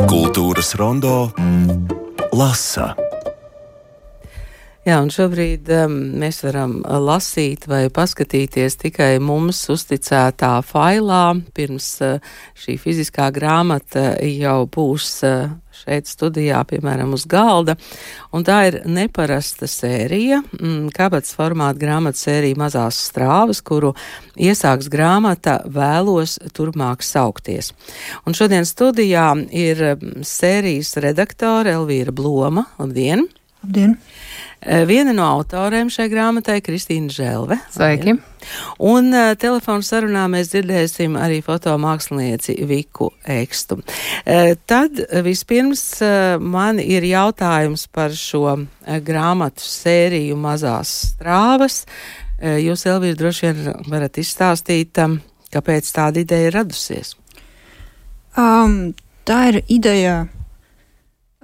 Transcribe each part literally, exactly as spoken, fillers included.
Kultūras rondo lasa. Jā, un šobrīd um, mēs varam lasīt vai paskatīties tikai mums uzticētā failā. Pirms uh, šī fiziskā grāmata jau būs uh, šeit studijā, piemēram, uz galda. Un tā ir neparasta sērija, mm, kabatas formāta grāmatas sērija Mazās strāvas, kuru iesāks grāmata Vēlos turpmāk saukties. Un šodien studijā ir sērijas redaktore Elvīra Bloma. Labdien! Labdien! Viena no autoriem šai grāmatai Kristīna Želve. Sveiki! Un uh, telefonu sarunā mēs dzirdēsim arī fotomākslinieci Viku Ekstu. Uh, tad vispirms uh, man ir jautājums par šo uh, grāmatu sēriju Mazās strāvas. Uh, jūs, Elvīra, droši vien varat izstāstīt, um, kāpēc tāda ideja ir radusies? Um, tā ir ideja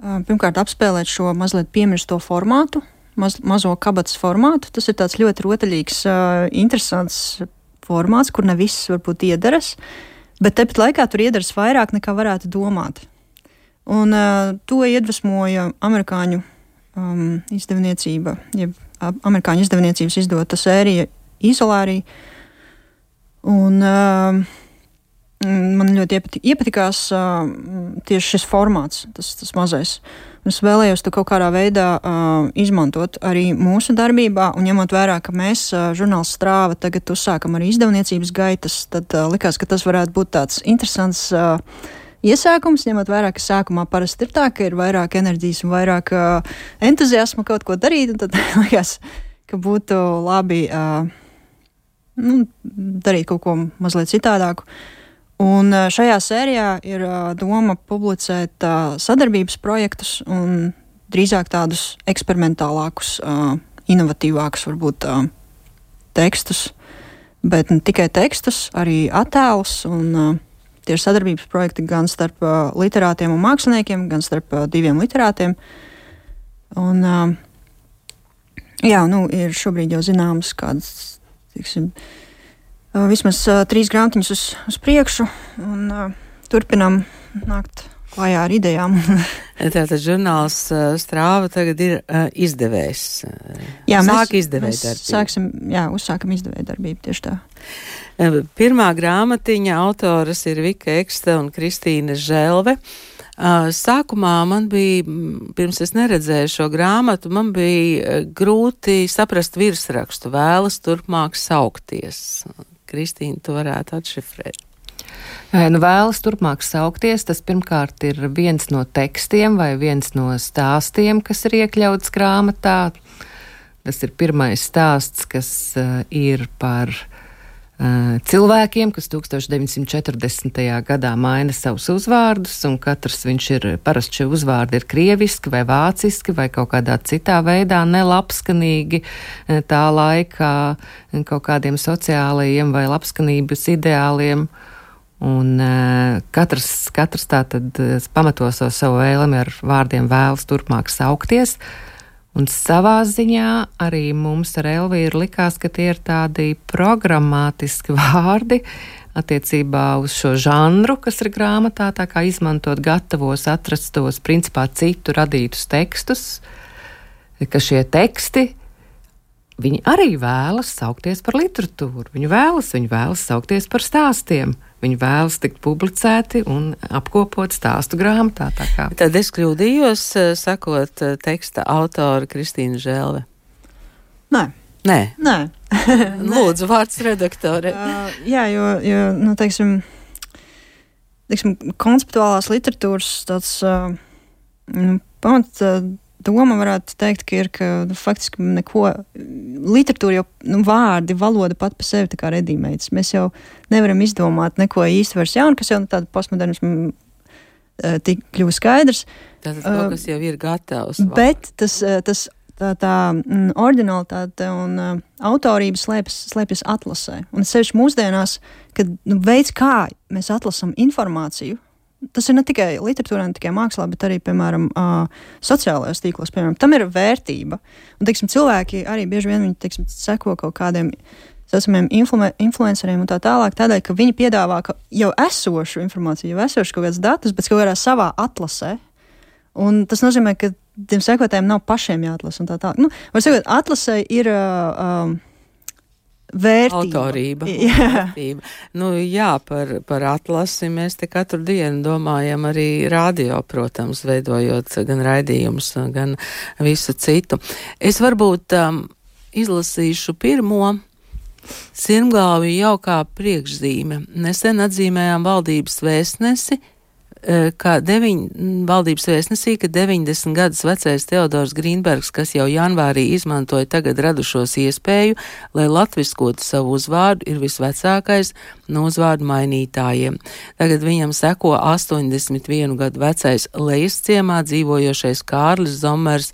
um, pirmkārt apspēlēt šo mazliet piemirsto formātu. Maz, mazo kabatas formātu. Tas ir tāds ļoti rotaļīgs, uh, interesants formāts, kur ne viss varbūt iederas, bet tepat laikā tur iederas vairāk nekā varētu domāt. Un uh, to iedvesmoja amerikāņu um, izdevniecība, jeb amerikāņu izdevniecības izdota sērija Izolārija. Un uh, man ļoti iepatik, iepatikās uh, tieši šis formāts, tas, tas mazais. Es vēlējos to kaut kādā veidā uh, izmantot arī mūsu darbībā, un ņemot vērā, ka mēs, uh, žurnāls Strāva, tagad uzsākam arī izdevniecības gaitas, tad uh, likās, ka tas varētu būt tāds interesants uh, iesākums, ņemot vērā, ka sākumā parasti ir tā, ka ir vairāk enerģijas un vairāk uh, entuziasma kaut ko darīt, un tad likās, ka būtu labi uh, nu, darīt kaut ko mazliet citādāku. Un šajā sērijā ir doma publicēt uh, sadarbības projektus un drīzāk tādus eksperimentālākus, uh, inovatīvākus varbūt uh, tekstus, bet ne tikai tekstus, arī attēlus. Un uh, tie ir sadarbības projekti gan starp uh, literātiem un māksliniekiem, gan starp uh, diviem literātiem. Un, uh, jā, nu, ir šobrīd jau zināms kādas, tiksim, Uh, vismaz uh, trīs grāmatiņas uz, uz priekšu, un uh, turpinām nākt klājā ar idejām. Tātad žurnāls uh, Strāva tagad ir uh, izdevējs. Jā, Sāk mēs, izdevēja mēs darbību. Sāksim, jā, uzsākam izdevēja darbību, tieši tā. Uh, pirmā grāmatiņa autoras ir Vika Eksta un Kristīna Želve. Uh, sākumā man bija, pirms es neredzēju šo grāmatu, man bija grūti saprast virsrakstu Vēlas turpmāk saukties. Kristīna, tu varētu atšifrēt. Nu, Vēlas turpmāk saukties, tas pirmkārt ir viens no tekstiem vai viens no stāstiem, kas ir iekļauts grāmatā. Tas ir pirmais stāsts, kas uh, ir par uh, cilvēkiem, kas tūkstoš deviņsimt četrdesmitajā gadā maina savus uzvārdus, un katrs viņš ir, parasti šie uzvārdi ir krieviski vai vāciski vai kaut kādā citā veidā nelabskanīgi tā laikā kaut kādiem sociālajiem vai labskanības ideāliem. Un uh, katrs, katrs tā tad pamato savu, savu vēlmi ar vārdiem Vēlas turpmāk saukties. Un savā ziņā arī mums ar Elvīru likās, ka tie ir tādi programmātiski vārdi attiecībā uz šo žanru, kas ir grāmatā, tā kā izmantot gatavos, atrastos, principā citu radītus tekstus, ka šie teksti, viņi arī vēlas saukties par literatūru. Viņi vēlas, viņi vēlas saukties par stāstiem. Viņi vēlas tikt publicēti un apkopot stāstu grāmatā. Tā kā. Tad es kļūdījos, sakot teksta autora Kristīna Želve. Nē. Nē. Nē. Lūdzu, vārds redaktore. Uh, jā, jo, jo nu, teiksim, teiksim, konceptuālās literatūras tāds uh, pamat uh, doma varētu teikt, ka ir, ka nu, faktiski neko, literatūra jau, nu, vārdi, valoda pat pa sevi tā kā redīmēts. Mēs jau nevaram izdomāt neko īsti vairs jaunu, kas jau nu, tāda postmodernismu uh, tik kļuva skaidrs. Tātad uh, kaut kas jau ir gatavs. Bet tas, tas tā, tā mm, oriģinalitāte un uh, autorība slēpjas, slēpjas atlasē. Un sevišķi mūsdienās, kad nu, veids, kā mēs atlasam informāciju, tas ir ne tikai literatūrā, ne tikai mākslā, bet arī, piemēram, uh, sociālajos tīklos, piemēram, tam ir vērtība. Un, teiksim, cilvēki arī bieži vien viņi, teiksim, seko kaut kādiem saucamiem influ- influenceriem un tā tālāk, tādēļ, ka viņi piedāvā jau esošu informāciju, jau esošu kaut kādas datus, bet kaut kādā savā atlasē. Un tas nozīmē, ka tiem sekotājiem nav pašiem jāatlasa un tā tālāk. Nu, var sakot, atlasē ir uh, um, vērtība. Autorība. Jā. Vērtība. Nu, jā, par, par atlasi mēs te katru dienu domājam arī radio, protams, veidojot gan raidījumus, gan visu citu. Es varbūt um, izlasīšu pirmo sirmgalvi jau kā priekšzīme. Nesen atzīmējām valdības vēstnesi, ka deviņ, valdības vēstnesī, ka deviņdesmit gadus vecais Teodors Grīnbergs, kas jau janvārī izmantoja tagad radušos iespēju, lai latviskotu savu uzvārdu, ir visvecākais no uzvārdu mainītājiem. Tagad viņam seko astoņdesmit vienu gadu vecais Lejas ciemā dzīvojošais Kārlis Zomers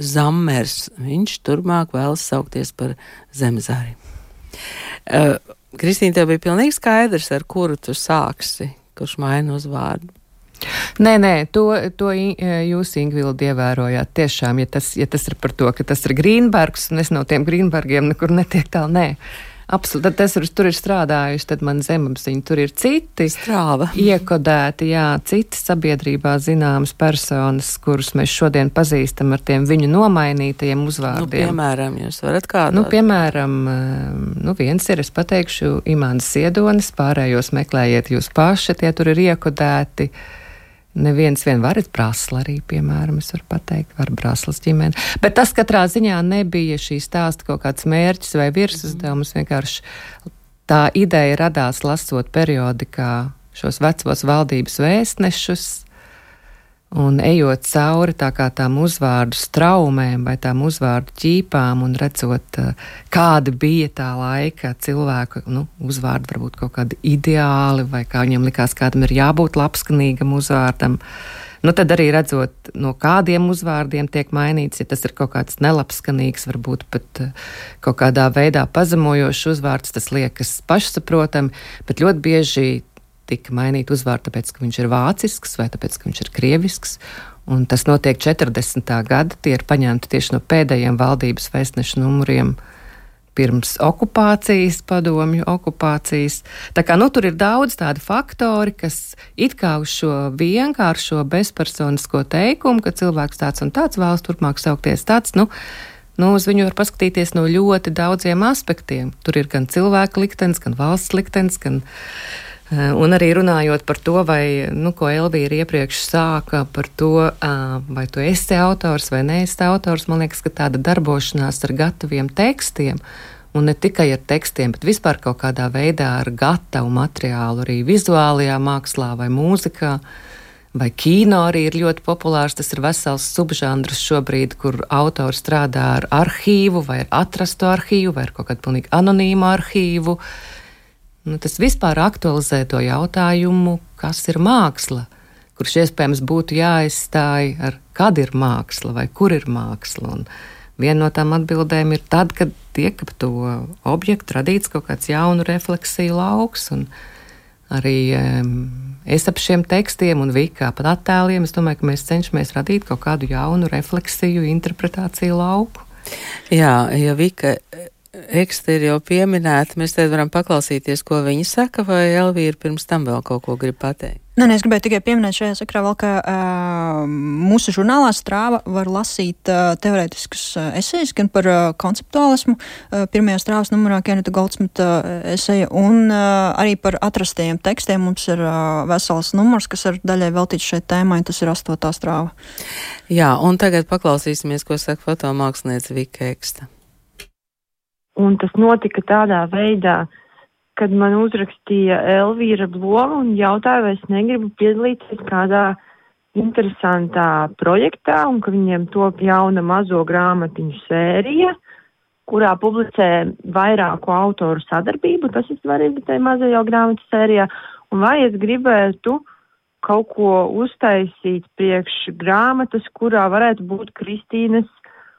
Zammers. Viņš turpmāk vēlas saukties par Zemezāri. Uh, Kristīna, tev bija pilnīgi skaidrs, ar kuru tu sāksi? Kurš maina uzvārdu? Nē, nē, to, to jūs, Ingvildi, ievērojāt tiešām, ja tas, ja tas ir par to, ka tas ir Grīnbergs, un es no tiem Grīnbergiem nekur netiek tālu, nē. Absolūti, tad tas ir, tur ir strādājuši, tad man zemapziņa, tur ir citi Strāva. Iekodēti, jā, citi sabiedrībā zināmas personas, kurus mēs šodien pazīstam ar tiem viņu nomainītajiem uzvārdiem. Nu, piemēram, jūs varat kādot? Nu, piemēram, nu, viens ir, es pateikšu, Imants Ziedonis, pārējos meklējiet jūs paši, tie tur ir iekodēti. Neviens vien var, es Brasla arī, piemēram, es varu pateikt, var Braslas ģimene. Bet tas katrā ziņā nebija šī stāsta kaut kāds mērķis vai virsuzdevums, vienkārši tā ideja radās lasot periodikā šos vecos valdības vēstnešus un ejot cauri tā kā tām uzvārdu straumēm vai tām uzvārdu ķīpām un redzot, kāda bija tā laika cilvēku, nu, uzvārdi varbūt kaut kādi ideāli vai kā viņam likās, kādam ir jābūt labskanīgam uzvārdam. Nu, tad arī redzot, no kādiem uzvārdiem tiek mainīts, ja tas ir kaut kāds nelabskanīgs, varbūt pat kaut kādā veidā pazemojošs uzvārds, tas liekas pašsaprotami, bet ļoti bieži tika mainīt uzvārdu, tāpēc, ka viņš ir vācisks vai tāpēc, ka viņš ir krievisks. Un tas notiek četrdesmitā gada, tie ir paņemti tieši no pēdējiem valdības vēstnešu numuriem pirms okupācijas, padomju okupācijas. Tā kā, nu, tur ir daudz tādi faktori, kas it kā uz šo vienkāršo bezpersonisko teikumu, ka cilvēks tāds un tāds vēlas turpmāk saukties tāds, nu, nu, uz viņu var paskatīties no ļoti daudziem aspektiem. Tur ir gan cilvēka liktenis, gan valsts liktenis, gan un arī runājot par to, vai, nu, ko Elvīra iepriekš sāka par to, vai tu esi autors vai neesi autors, man liekas, ka tāda darbošanās ar gataviem tekstiem, un ne tikai ar tekstiem, bet vispār kaut kādā veidā ar gatavu materiālu, arī vizuālajā mākslā vai mūzikā, vai kino arī ir ļoti populārs, tas ir vesels subžanrs šobrīd, kur autori strādā ar arhīvu, vai ar atrastu arhīvu, vai ar kaut kādu pilnīgi anonīmu arhīvu. Nu, tas vispār aktualizē to jautājumu, kas ir māksla, kurš iespējams būtu jāizstāj ar kad ir māksla vai kur ir māksla. Un viena no tām atbildēm ir tad, kad tiek ap to objektu radīts kaut kāds jaunu refleksiju lauks. Un arī um, es ap šiem tekstiem un Vika pat attēliem, es domāju, ka mēs cenšamies radīt kaut kādu jaunu refleksiju, interpretāciju lauku. Jā, ja Vika eksti ir jau pieminēta, mēs te varam paklausīties, ko viņi saka, vai Elvīra pirms tam vēl kaut ko grib pateikt? Nē, es gribēju tikai pieminēt šajā sakrā vēl, ka uh, mūsu žurnālā Strāva var lasīt uh, teorētiskus uh, esejas, gan par uh, konceptuālismu, uh, pirmajā Strāvas numurā Keneta Goldsmita uh, eseja, un uh, arī par atrastajiem tekstiem. Mums ir uh, vesels numurs, kas ir daļai veltīts šai tēmai, tas ir astotā Strāva. Jā, un tagad paklausīsimies, ko saka fotomāksliniece Vika Eksta. Un tas notika tādā veidā, kad man uzrakstīja Elvīra Bloma un jautāja, vai es negribu piedalīties kādā interesantā projektā, un ka viņiem top jauna mazo grāmatiņu sērija, kurā publicē vairāku autoru sadarbību, tas ir svarīgi tai mazajā grāmatu sērijā, un vai es gribētu kaut ko uztaisīt priekš grāmatas, kurā varētu būt Kristīnes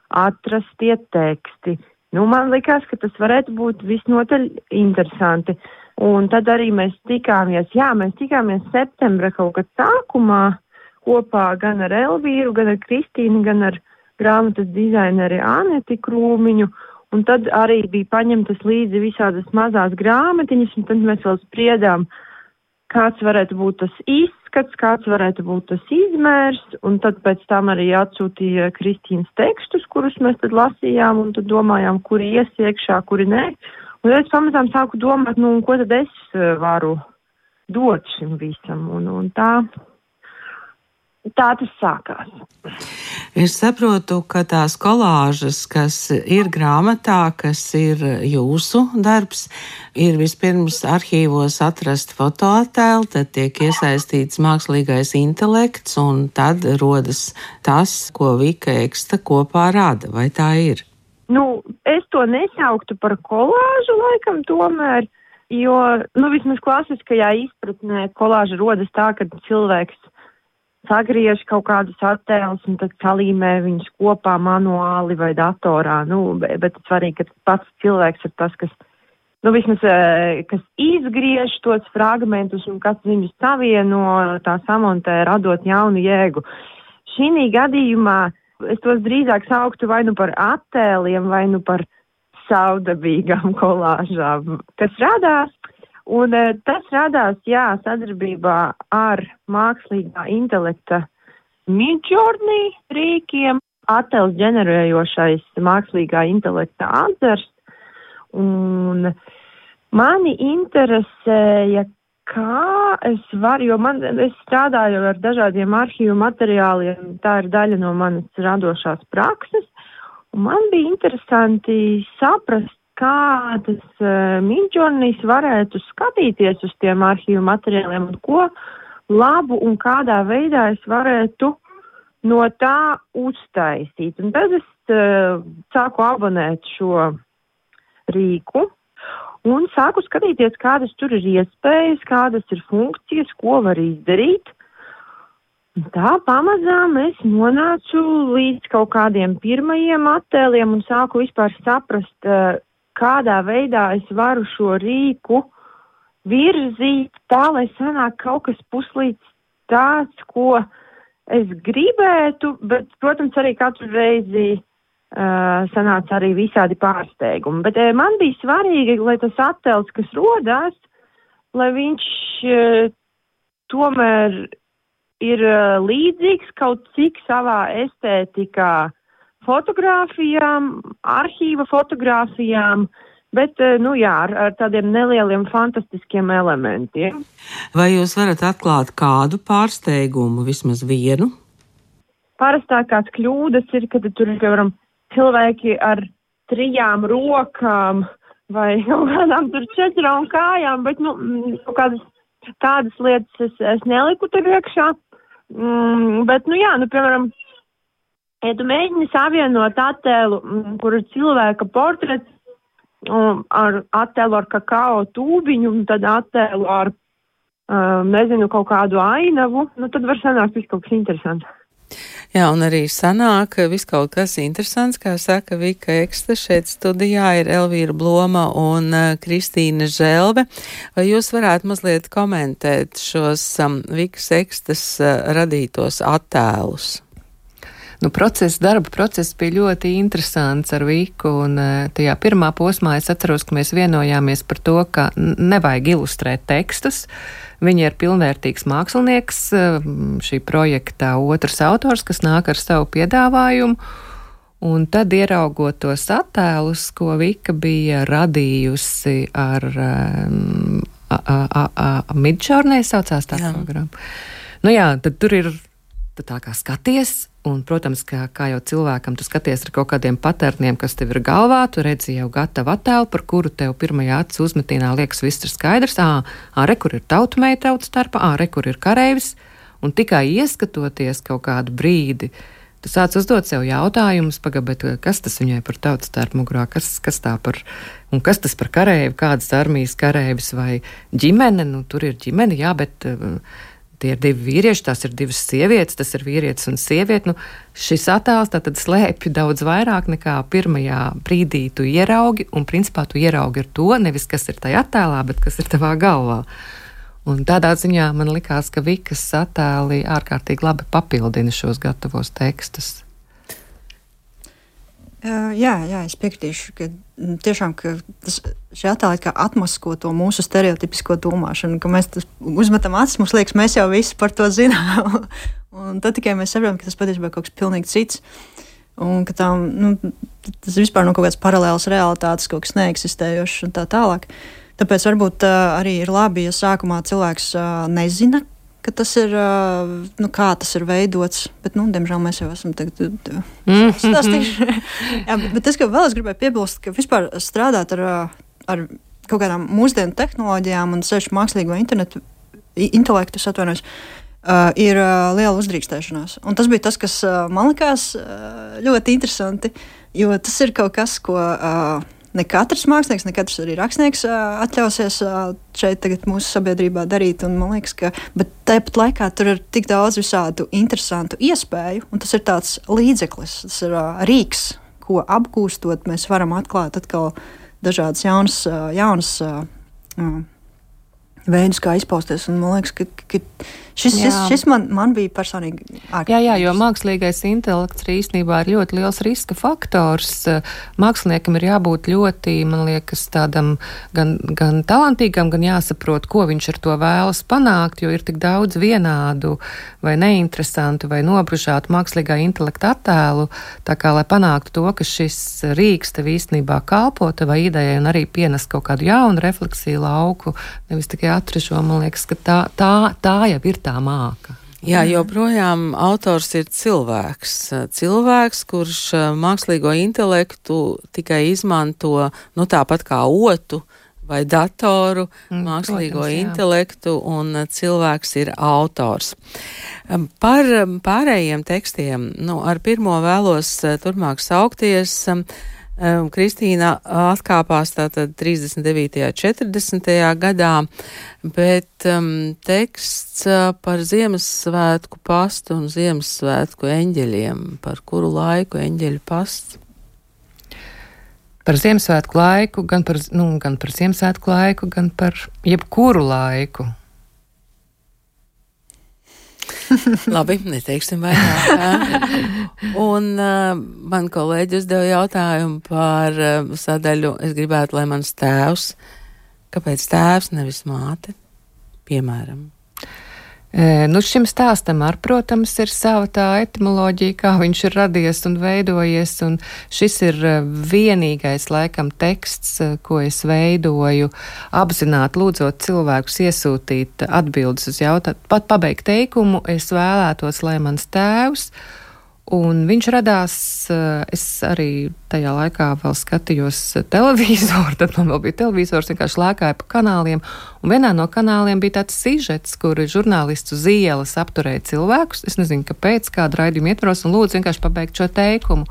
atrastie teksti. Nu, man likās, ka tas varētu būt visnotaļ interesanti. Un tad arī mēs tikāmies, jā, mēs tikāmies septembra kaut kad sākumā kopā gan ar Elvīru, gan ar Kristīnu, gan ar grāmatas dizaineri Aneti Krūmiņu. un tad arī bija paņemtas līdzi visādas mazās grāmatiņas, un tad mēs vēl spriedām, kāds varētu būt tas izskats, kāds varētu būt tas izmērs, un tad pēc tam arī atsūtīja Kristīnas tekstus, kurus mēs tad lasījām, un tad domājām, kuri ies iekšā, kuri nē. Un es pamazām sāku domāt, nu, ko tad es varu dot šim visam, un, un tā... Tā tas sākās. Es saprotu, ka tās kolāžas, kas ir grāmatā, kas ir jūsu darbs, ir vispirms arhīvos atrast fotoattēlu, tad tiek iesaistīts mākslīgais intelekts, un tad rodas tas, ko Vika Eksta kopā rada. Vai tā ir? Nu, es to nesauktu par kolāžu laikam tomēr, jo, nu, vismaz klasiskajā izpratnē kolāža rodas tā, ka cilvēks sagriež kaut kādus attēlus un tad salīmē viņus kopā manuāli vai datorā. Nu, bet, bet svarīgi, ka pats cilvēks ir tas, kas, nu, vismaz, kas izgriež tos fragmentus un kas viņus savieno, tā samontē, radot jaunu jēgu. Šī gadījumā es tos drīzāk sauktu vai nu par attēliem, vai nu par savdabīgām kolāžām, kas radās. Un e, tas radās, jā, sadarbībā ar mākslīgā intelekta Midjourney rīkiem, attēls ģenerējošais mākslīgā intelekta atzars. Un mani interesēja, kā es varu, jo man, es strādāju ar dažādiem arhīvu materiāliem, tā ir daļa no manas radošās prakses, un man bija interesanti saprast, kā tas uh, Midjourneys varētu skatīties uz tiem arhīvu materiāliem un ko labu un kādā veidā es varētu no tā uztaisīt. Un tad es uh, sāku abonēt šo rīku un sāku skatīties, kādas tur ir iespējas, kādas ir funkcijas, ko var izdarīt. Un tā pamazām es nonācu līdz kaut kādiem pirmajiem attēliem un sāku vispār saprast, uh, kādā veidā es varu šo rīku virzīt tā, lai sanāk kaut kas puslīdz tāds, ko es gribētu, bet, protams, arī katru reizi uh, sanāca arī visādi pārsteigumi. Bet uh, man bija svarīgi, lai tas attēls, kas rodās, lai viņš uh, tomēr ir uh, līdzīgs kaut cik savā estētikā fotogrāfijām, arhīva fotogrāfijām, bet, nu jā, ar, ar tādiem nelieliem fantastiskiem elementiem. Vai jūs varat atklāt kādu pārsteigumu, vismaz vienu? Parastākās kļūdas ir, kad tur ir, piemēram, cilvēki ar trijām rokām vai kaut kādām tur četrām kājām, bet, nu, kaut kādas tādas lietas es, es neliku tur iekšā. Mm, bet, nu jā, nu, piemēram, ja tu mēģini savienot attēlu, kur ir cilvēka portrets, um, ar attēlu ar kakao tūbiņu, un tad attēlu ar, um, nezinu, kaut kādu ainavu, nu tad var sanākt viss kaut kas interesants. Jā, un arī sanāk viss kaut kas interesants, kā saka Vika Eksta. Šeit studijā ir Elvīra Bloma un uh, Kristīna Želve. Vai jūs varētu mazliet komentēt šos um, Vikas Ekstas uh, radītos attēlus? Nu, process, darba process bija ļoti interesants ar Viku, un tajā pirmā posmā es atceros, ka mēs vienojāmies par to, ka nevajag ilustrēt tekstus. Viņa ir pilnvērtīgs mākslinieks, šī projekta otrs autors, kas nāk ar savu piedāvājumu, un tad ieraugot tos attēlus, ko Vika bija radījusi ar um, Midjourney saucās tā programma. Nu jā, tad tur ir tā kā skaties, un, protams, kā, kā jau cilvēkam, tu skaties ar kaut kādiem paterniem, kas tev ir galvā, tu redzi jau gatavu attēlu, par kuru tev pirmajā acu uzmetīnā liekas viss ir skaidrs, ā, ā, re, kur ir tautumeita tautas starpā, ā, re, kur ir kareivis, un tikai ieskatoties kaut kādu brīdi, tu sāc uzdot sev jautājumus, paga, bet kas tas viņai par tautas starpu mugurā, kas, kas tā par, un kas tas par kareivi, kādas armijas kareivis vai ģimene, nu, tur ir ģimene, jā, bet tie ir divi vīrieši, tās ir divas sievietes, tas ir vīrietis un sieviete. Nu, šis attēls tātad slēpj daudz vairāk nekā pirmajā brīdī tu ieraugi, un principā tu ieraugi ar to, nevis kas ir tajā attēlā, bet kas ir tavā galvā. Un tādā ziņā man likās, ka Vikas attēli ārkārtīgi labi papildina šos gatavos tekstus. Uh, jā, jā, es piekritīšu, ka tiešām ka tas, šī attēlīte kā atmasko to mūsu stereotipisko domāšanu, ka mēs uzmetam acis, mums liekas, mēs jau visi par to zinām. Un tad tikai mēs saprotam, ka tas patiesībā kaut kas pilnīgi cits. Un ka tām, nu, tas vispār nav kaut kāds paralēls realitātes, kaut kas neeksistējošs un tā tālāk. Tāpēc varbūt uh, arī ir labi, ja sākumā cilvēks uh, nezina, ka tas ir, uh, nu, kā tas ir veidots, bet, nu, diemžēl mēs jau esam tagad stāstījuši. Jā, bet, bet es, ka vēl es gribēju piebilst, ka vispār strādāt ar, ar kaut kādām mūsdienu tehnoloģijām un sevišķi mākslīgo internetu, intelektu, es atvainojos, uh, ir uh, liela uzdrīkstēšanās. Un tas bija tas, kas uh, man likās uh, ļoti interesanti, jo tas ir kaut kas, ko... Uh, Ne katrs mākslinieks, ne katrs arī rakstnieks uh, atļausies uh, šeit tagad mūsu sabiedrībā darīt, un man liekas, ka, bet tāpat laikā tur ir tik daudz visādu interesantu iespēju, un tas ir tāds līdzeklis, tas ir uh, rīks, ko apgūstot, mēs varam atklāt atkal dažādas jaunas, uh, jaunas uh, uh, veidus, kā izpausties, un man liekas, ka, ka šis, šis, šis man, man bija personīgi ārkārtīgi. Jā, jā, jo mākslīgais intelekts īstenībā ir ļoti liels riska faktors. Māksliniekam ir jābūt ļoti, man liekas, tādam gan, gan talantīgam, gan jāsaprot, ko viņš ar to vēlas panākt, jo ir tik daudz vienādu vai neinteresantu vai nobružātu mākslīgā intelekta attēlu, tā kā, lai panāktu to, ka šis rīks tev īstenībā kalpo tavai idejai un arī pienes kaut kādu jaunu refleksiju lauku, nevis tikai atražo, man liekas, ka tā, tā, tā jau ir tā māka. Jā, joprojām autors ir cilvēks. Cilvēks, kurš mākslīgo intelektu tikai izmanto, nu tāpat kā otu vai datoru, mm, mākslīgo protams, intelektu, un cilvēks ir autors. Par pārējiem tekstiem, nu, ar pirmo vēlos turpmāk saukties. Kristīna atkāpās tātad trīsdesmit devītajā, četrdesmitajā gadā, bet um, teksts par Ziemassvētku pastu un Ziemassvētku eņģeļiem, par kuru laiku eņģeļu pasts? Par Ziemassvētku laiku, gan par, nu, gan par Ziemassvētku laiku, gan par jebkuru laiku. Labi, neteiksim vairāk. Un uh, man kolēģi uzdeva jautājumu par uh, sadaļu, es gribētu, lai mans tēvs, kāpēc tēvs, nevis māte, piemēram. E, nu šim stāstam ar, protams, ir sava tā etimoloģija, kā viņš ir radies un veidojies, un šis ir vienīgais, laikam, teksts, ko es veidoju, apzināti lūdzot cilvēkus iesūtīt atbildes uz jautājumu. Pat pabeigt teikumu, es vēlētos, lai mans tēvs, un viņš radās, es arī tajā laikā vēl skatījos televizoru, tad man vēl bija televizors, vienkārši lēkāja pa kanāliem, un vienā no kanāliem bija tāds sižets, kur žurnālists uz ielas apturēja cilvēkus, es nezinu, kāpēc, kādu raidījumu ietvaros, un lūdzu vienkārši pabeigt šo teikumu.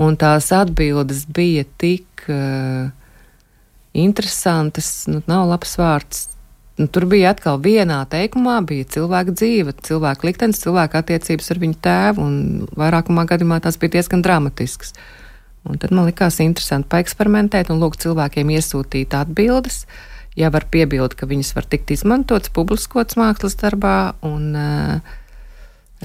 Un tās atbildes bija tik uh, interesantas, nu, nav labs vārds. Nu, tur bija atkal vienā teikumā, bija cilvēka dzīve, cilvēka liktenis, cilvēka attiecības ar viņu tēvu, un vairākumā gadījumā tās bija diezgan dramatiskas. Un tad man likās interesanti paeksperimentēt un lūgt cilvēkiem iesūtīt atbildes, ja var piebilst, ka viņas var tikt izmantotas, publiskotas mākslas darbā, un...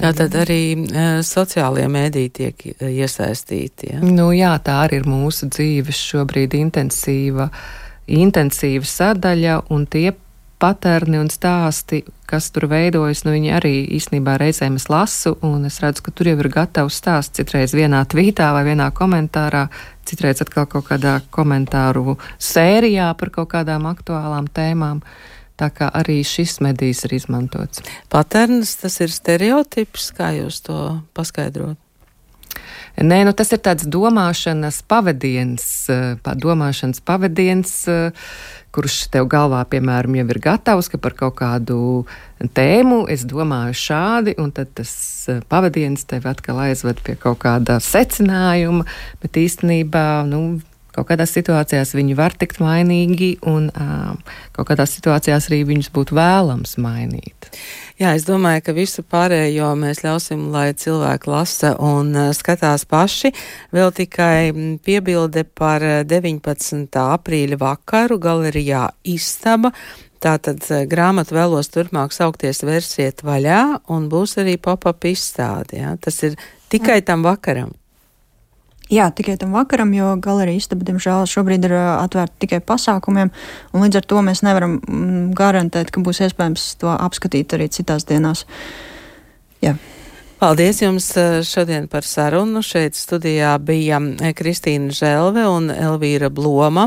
Tātad arī uh, sociālie mēdīji tiek iesaistīti, ja? Nu jā, tā arī ir mūsu dzīves šobrīd intensīva, intensīva sadaļa, un tie paterni un stāsti, kas tur veidojas, nu viņi arī īstenībā reizēm es lasu, un es redzu, ka tur jau ir gatavs stāsts, citreiz vienā tvītā vai vienā komentārā, citreiz atkal kaut kādā komentāru sērijā par kaut kādām aktuālām tēmām. Tā kā arī šis medijs ir izmantots. Paterns, tas ir stereotips, kā jūs to paskaidrot? Nē, nu tas ir tāds domāšanas pavadiens, domāšanas pavadiens, kurš tev galvā, piemēram, jau ir gatavs, ka par kaut kādu tēmu es domāju šādi, un tad tas pavadiens tev atkal aizved pie kaut kāda secinājuma, bet īstenībā, nu, kaut kādās situācijās viņi var tikt mainīgi, un uh, kaut kādās situācijās arī viņus būtu vēlams mainīt. Jā, es domāju, ka visu pārējo mēs ļausim, lai cilvēki lasa un uh, skatās paši. Vēl tikai piebilde par deviņpadsmitā aprīļa vakaru galerijā Istaba. Tātad grāmatu vēlos turpmāk saukties Versiet vaļā, un būs arī pop-up izstāde. Ja? Tas ir tikai tam vakaram. Jā, tikai tam vakaram, jo galerija istaba, diemžēl, šobrīd ir atvērta tikai pasākumiem, un līdz ar to mēs nevaram garantēt, ka būs iespējams to apskatīt arī citās dienās. Jā. Paldies jums šodien par sarunu. Šeit studijā bija Kristīna Želve un Elvīra Bloma.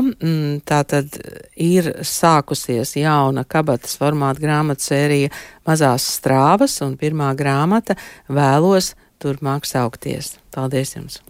Tātad ir sākusies jauna kabatas formāta grāmatu sērija Mazās strāvas, un pirmā grāmata Vēlos turpmāk saukties. Paldies jums!